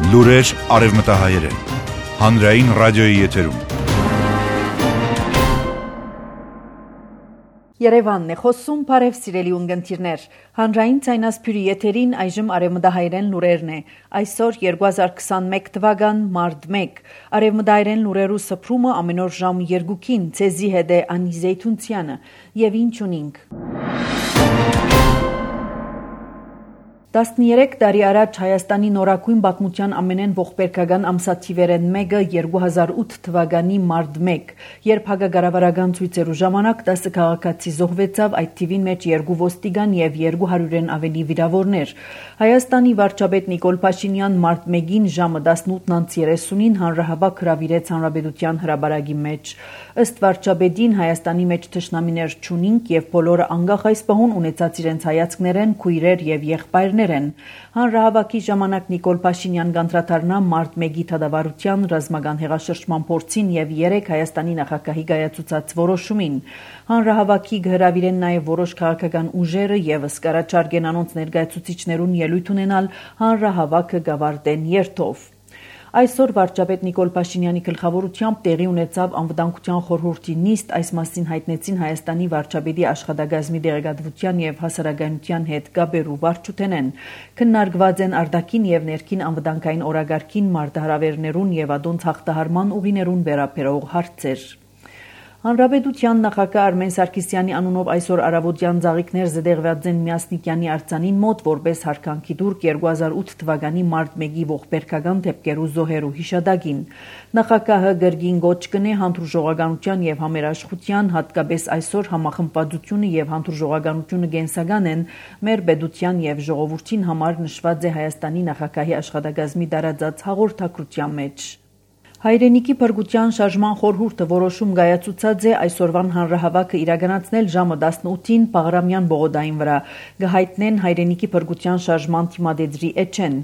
Լուրեր արևմտահայերեն։ Հանրային ռադիոյի եթերում։ Երևանն է խոսում, բարև սիրելի ունգընտիրներ։ Հանրային ցայնասփյուրի եթերին այժմ արևմտահայերեն լուրերն է։ Այսօր 2021 թվական մարտ 1։ Արևմտահայերեն լուրերու սփռումը ամեն օր ժամ 2-ին ցեզի հետ է Անի Զեյթունցյանը եւ ինչ ունենք։ 13 տարի առաջ Հայաստանի նորակույն պատմության ամենեն ողբերգական ամսաթիվերեն մեկը 2008 թվականի մարտ 1, երբ հակակառավարական ցույցերու ժամանակ 10 քաղաքացի զոհվեցավ, այդ թիվին մեջ 2 ոստիկան եւ 200-ն ավելի վիրավորներ։ Հայաստանի վարչապետ Նիկոլ Փաշինյան մարտ 1-ին ժամը 18:30-ին հանրահավաք հրավիրեց Հանրապետության հրապարակի մեջ։ Ըստ վարչապետին Հայաստանի մեջ թշնամիներ չունինք եւ բոլորը անկախ այս պահուն ունեցած իրենց հայացքներեն քույրեր եւ եղբայրներ են։ Հանրահավաքի ժամանակ Նիկոլ Փաշինյան կանդրադառնա մարտ 1-ի դատավարության ռազմական հեղաշրջման փորձին եւ 3 Հայաստանի նախագահի կայացուցած որոշումին։ Հանրահավաքի կհրավիրեն նաեւ որոշ քաղաքական ուժերը եւս կառաջարկեն անոնց ներկայացուցիչներուն ելույթ ունենալ հանրահավաքը գավարտեն երթով։ Այսօր վարչապետ Նիկոլ Փաշինյանի գլխավորությամբ տեղի ունեցավ անվտանգության խորհրդի նիստ, այս մասին հայտնեցին Հայաստանի վարչապետի աշխատակազմի դեղեկատվության եւ հասարակայնության հետ կապերու վարչութենեն։ Քննարկված են արտաքին եւ ներքին անվտանգային օրագարկին, մարտահրավերներուն եւ ադոնց հաղթահարման ուղիներուն վերաբերող հարցեր։ Հանրապետության նախագահ Արմեն Սարգսյանի անունով այսօր առավոտյան ծաղիկներ զետեղված են Միասնիկյանի արձանին մոտ որպես հարկանքի դուրք 2008 թվականի մարտ 1-ի ողբերգական դեպքերու զոհերու հիշադակին։ Նախագահը գրգին գոչ կնե հանդուրժողականության եւ համերաշխության, հատկապես այսօր համախմբվածությունը եւ հանդուրժողականությունը կենսական են մեր պետության եւ ժողովրդին համար նշված է Հայաստանի նախագահի աշխատակազմի տարածած հաղորդակցության մեջ։ Հայրենիքի փրկության շարժման խորհուրդը որոշում կայացուցած է այսօրվան հանրահավաքը իրականացնել ժամը 18-ին Պաղրամյան բողոդային վրա, կհայտնեն Հայրենիքի փրկության շարժման թիմադեծրի էջեն։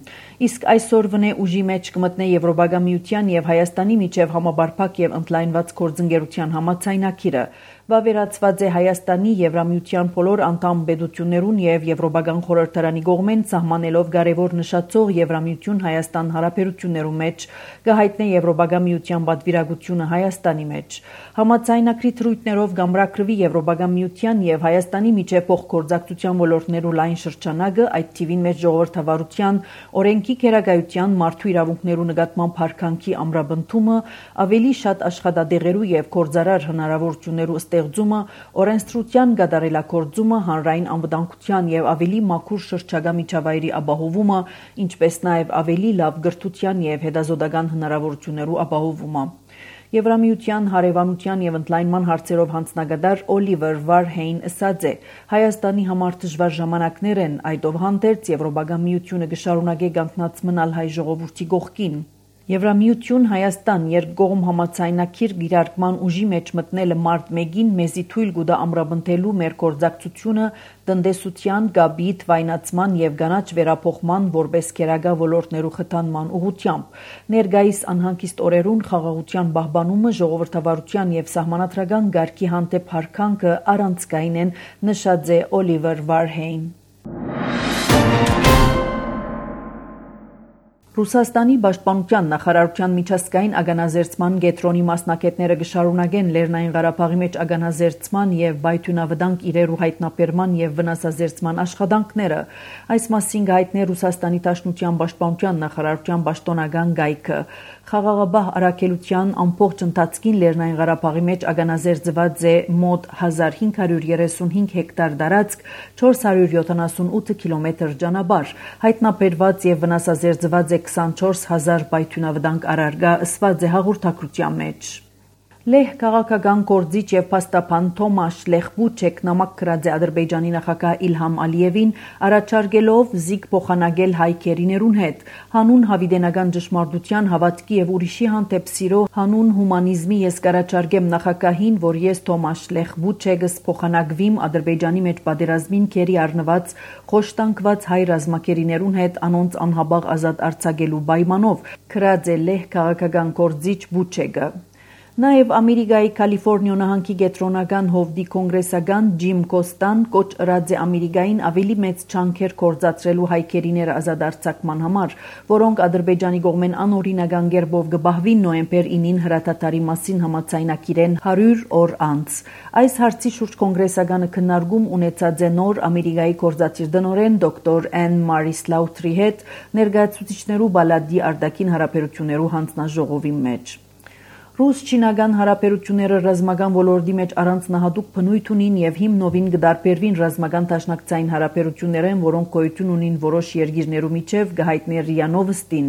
Իսկ այսօրվն է ուժի մեջ կմտնե Եվրոպական միության եւ Հայաստանի միջև համապարփակ եւ ընդլայնված գործընկերության համաձայնագիրը։ Վավերացված է Հայաստանի Եվրամիության բոլոր անդամ պետություններուն եւ Եվրոպական խորհրդարանի կողմեն սահմանելով կարևոր նշածող Եվրամիություն Հայաստան հարաբերություններու մեջ, կհայտնե Եվրոպական միության պատվիրակությունը Հայաստանի մեջ։ Համաձայնագրի թրույթներով կամրակրվի Եվրոպական միության եւ Հայաստանի միջև փոխգործակցության ոլորտներու լայն շրջանակը, այդ թիվին մեջ ժողովրդավարության, օրենքի քերակայության, մարդու իրավունքներու նկատմամբ հարկանքի ամրապնդումը, ավելի շատ աշխատադեղերու եւ գործարար հնարավորություններու ստեղծումը, օրենսդրության կատարելագործումը, հանրային անվտանգության եւ ավելի մաքուր շրջակա միջավայրի ապահովումը, ինչպես նաեւ ավելի լավ կրթության եւ հետազոտական հնարավորություններու ապահովումը։ Եվրամիության հարևանության եւ ընդլայնման հարցերով հանձնագետար Օլիվեր Վարհեյն ասաց է. Հայաստանի համար դժվար ժամանակներ են, այդովհանդերձ Եվրոպական միությունը կշարունակի կանգնած մնալ հայ ժողովրդի կողքին։ Եվրամիություն Հայաստան երկկողմ համաձայնագիր գիրարկման ուժի մեջ մտնելը մարտ 1-ին մեզի թույլ կտա ամրապնդելու մեր գործակցությունը տնտեսության, գաբի, թվայնացման եւ կանաչ վերափոխման որպես քերակա ոլորտներու խթանման ուղղությամբ։ Ներկայիս անհանգիստ օրերուն խաղաղության պահպանումը, ժողովրդավարության եւ սահմանադրական կարգի հանդեպ հարկանքը առանցքային են, նշած է Օլիվեր Վարհեյն։ Ռուսաստանի պաշտպանության նախարարության միջազգային ականազերծման կենտրոնի մասնակիցները կշարունակեն Լեռնային Ղարաբաղի մեջ ականազերծման եւ բայթյունավտանգ իրերու հայտնաբերման եւ վնասազերծման աշխատանքները։ Այս մասին կհայտնի Ռուսաստանի Դաշնության պաշտպանության նախարարության պաշտոնական գայքը։ Խաղաղաբահ առաքելության ամբողջ ընթացքին Լեռնային Ղարաբաղի մեջ ականազերծված է մոտ 1535 հեկտար տարածք, 478 կիլոմետր ճանապարհ, հայտնաբերված եւ վնասազերծված է 24,000 բայթյունավտանգ առարգա, ըսված է հաղորդակցության մեջ։ Լեհ քաղաքական գործիչ եւ փաստաբան Թոմաշ Լեխբուչեկ նամակ գրած է Ադրբեջանի նախագահ Իլհամ Ալիևին, առաջարկելով զիգ փոխանակել հայ քերիներուն հետ, հանուն հավիտենական ճշմարտության, հավատքի եւ ուրիշի հանդեպ սիրո, հանուն հումանիզմի ես կառաջարկեմ նախագահին, որ ես Թոմաշ Լեխբուչեգս փոխանակվիմ Ադրբեջանի մեջ պատերազմին քերի առնված խոշտանգված հայ ռազմակերիներուն հետ անոնց անհաբաղ ազատ արձակելու պայմանով, գրած է Լեհ քաղաքական գործիչ Բուչեգը։ Նաև Ամերիկայի Կալիֆոռնիա նահանգի գետրոնական հովդի կոնգրեսական Ջիմ Կոստան կոչ ըրած է Ամերիկային ավելի մեծ չանքեր կործացրելու հայքերիները ազատ արձակման համար, որոնք Ադրբեջանի կողմեն անօրինական կերպով կբահվին նոյեմբեր 9-ին հրաթաթարի մասին համաձայնագիրեն 100 օր անց։ Այս հարցի շուրջ կոնգրեսականը քննարկում ունեցած է նոր Ամերիկայի գործադիր տնօրեն դոկտոր Էն Մարի Սլաութրի հետ ներկայացուցիչներու բալադի արտաքին հարաբերություններու հանձնաժողովի մեջ։ Ռուս-չինական հարաբերությունները ռազմական ոլորտի մեջ առանձնահատուկ բնույթ ունին եւ հիմնովին կդարբերվին ռազմական դաշնակցային հարաբերություններեն, որոնք գոյություն ունին որոշ երկիրներու միջև, կհայտներ ՌԻԱ Նովոստին։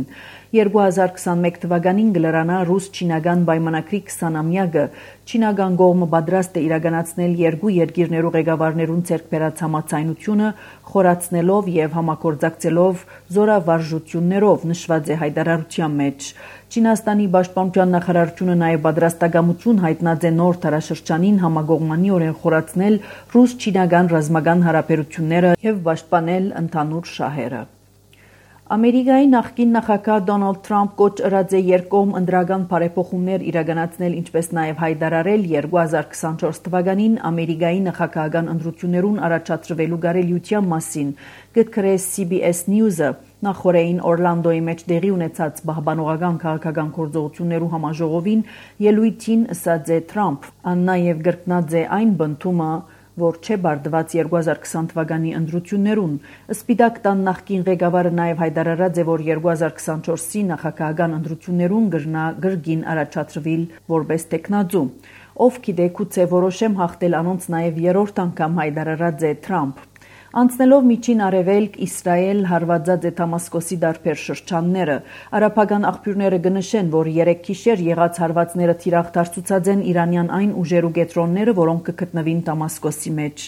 2021 թվականին կլրանա ռուս-չինական պայմանագրի 20-ամյակը։ Չինական կողմը պատրաստ է իրականացնել երկու երկիրներու ղեկավարներուն ձեռք բերած համաձայնությունը, խորացնելով եւ համագործակցելով զորավարժություններով, նշված է հայտարարության մեջ։ Չինաստանի պաշտպանության նախարարությունը նաև պատրաստակամություն հայտնած է նոր դարաշրջանին համագողմանիորեն խորացնել ռուս-չինական ռազմական հարաբերությունները եւ պաշտպանել ընդհանուր շահերը։ Ամերիկայի նախկին նախագահ Դոնալդ Թրամփ կոչ ըրած է երկկողմ ընտրական բարեփոխումներ իրականացնել, ինչպես նաև հայտարարել 2024 թվականին Ամերիկայի նախագահական ընտրություններուն առաջադրվելու կարելիության մասին։ Գտքրե CBS News-ը նախորդին Օրլանդոյի մեջ տեղի ունեցած պահպանողական քաղաքական գործողություններու համաժողովին ելույթին ըսած է Թրամփ, նաև կրկնած է այն բնդումը, որ չէ բարդված 2020 թվականի ընտրություններուն։ Սպիտակ տան նախկին ղեկավարը նաև հայտարարած է, որ 2024-ի նախագահական ընտրություններուն կրնա գրգին առաջադրվել որպես տեխնացու։ Ով գիտե, գուցե որոշեմ հաղթել անոնց նաև երրորդ անգամ հայտարարած է Թրամփ։ Անցնելով միջին արևելք, Իսրայել հարվածած է Դամասկոսի դարբեր շրջանները։ Արաբական աղբյուրները կնշեն, որ 3 գիշեր եղած հարվածները թիրախ դարձուցած են իրանյան այն ուժերու կետրոնները, որոնք կգտնվին Դամասկոսի մեջ։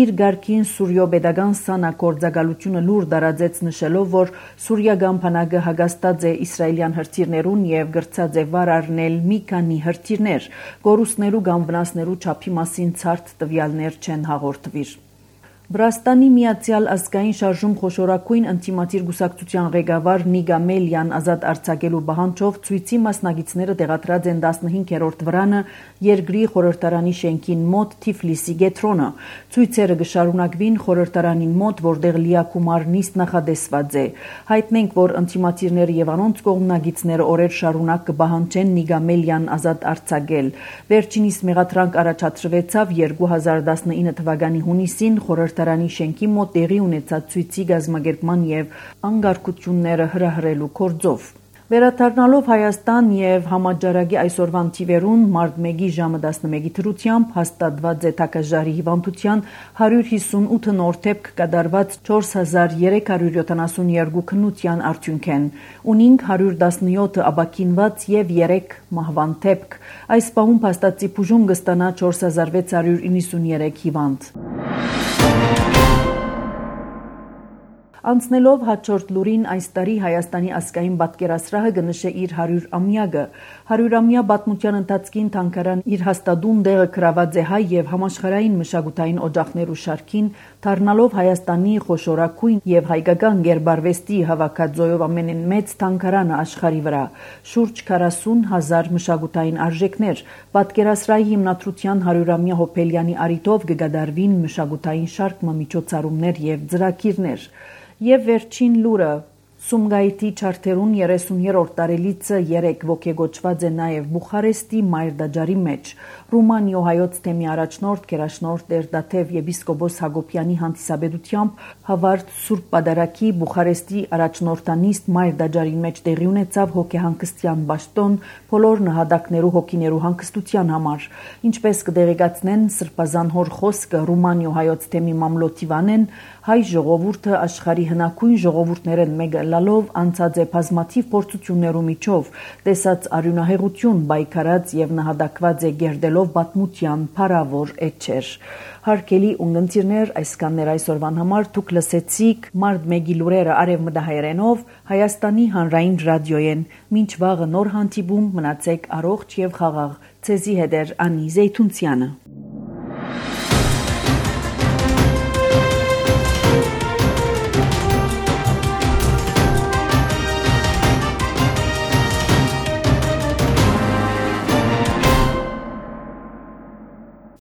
Իր գարքին Սուրիո պետական սանա գործակալությունը լուր դարածեց նշելով, որ սուրիական բանակը հագաստած է իսրայելյան հրթիռներուն եւ գրծած է վար առնել մի քանի հրթիռներ, գորուսներու կամ վնասներու չափի մասին ցարտ տվյալներ չեն հաղորդվիր։ Վրաստանի Միացյալ ազգային շարժում խոշորագույն ինտիմատիր գուսակցության ղեկավար Նիգա Մելյան ազատ արձակելու պահանջով ցույցի մասնակիցները տեղադրած են 15-րդ վրանը երկրի խորհրդարանի շենքին մոտ Թիֆլիսի գետրոնը։ Ցույցերը կշարունակվին խորհրդարանին մոտ, որտեղ լիակումար նիստ նախադեсված է։ Հայտնենք, որ ինտիմատիրները եւ անոնց կողմնակիցները օրեր շարունակ կպահանջեն Նիգա Մելյան ազատ արձակել։ Վերջինիս մեղադրանք առաջադրվեցավ 2019 թվականի հունիսին խորհրդարանի շենքի մոտ տեղի ունեցած ցույցի գազམ་ագերման եւ անկարգությունները հրահրելու գործով։ Վերադառնալով Հայաստան եւ համաճարակի այսօրվան թիվերուն մարտ 1-ի ժամը 11-ի դրությամբ հաստատված է թակաժարի հիվանդության 158 նոր դեպք կատարված 4372 քննության արդյունքեն, ունինք 117 ապաքինված եւ 3 մահվան դեպք։ Այս պահում փաստացի բուժում կստանա 4693 հիվանդ։ Անցնելով հաջորդ լուրին, այս տարի Հայաստանի ազգային պատկերասրահը կնշե իր 100-ամյակը։ 100-ամյա պատմության ընթացքին թանգարան իր հաստատուն տեղը գրաված է հայ եւ համաշխարհային մշակութային օջախներու շարքին, դառնալով Հայաստանի խոշորագույն եւ հայկական գերբարվեստի հավաքածոյով ամենամեծ թանգարանը աշխարհի վրա։ Շուրջ 40,000 մշակութային արժեքներ, պատկերասրահի հիմնադրության 100-ամյա հոբելյանի արիթով կգադարվին մշակութային շարք միջոցառումներ եւ ծրագիրներ։ Եվ վերջին լուրը Սումգայիթի չարթերուն 30-րդ տարելիցը 3 ոգեգոճված է նաև Բուխարեստի Մայրդաջարի մեջ։ Ռումանիո հայոց թեմի առաջնորդ Գերաշնորհ Տեր-Դաթև եպիսկոպոս Հակոբյանի հանդիսաբերությամբ Հավարդ Սուրբ Պատարագի Բուխարեստի առաջնորդանիստ Մայրդաջարի մեջ տեղի ունեցավ հոգեհանգստյան պաշտոն բոլոր նահատակներու հոգիներու հանգստության համար։ Ինչպես կդեղեկացնեն Սրբազան հոր խոսքը Ռումանիո հայոց թեմի մամլոթիվանեն, հայ ժողովուրդը աշխարհի հնագույն ժողովուրդներեն մեկը լալով անցած է բազմաթիվ փորձություններու միջով, տեսած արյունահեղություն, բայկարած եւ նահատակված է գերդելով պատմության փառավոր էջեր։ Հարգելի ունգընտիրներ, այսքաններ այսօրվան համար դուք լսեցիք մարտ 1-ի լուրերը արևմտահայերենով Հայաստանի հանրային ռադիոյեն։ Մինչ վաղը նոր հանդիպում, մնացեք առողջ եւ խաղաղ։ Ցեզի հետ է Անի Զեյթունցյանը։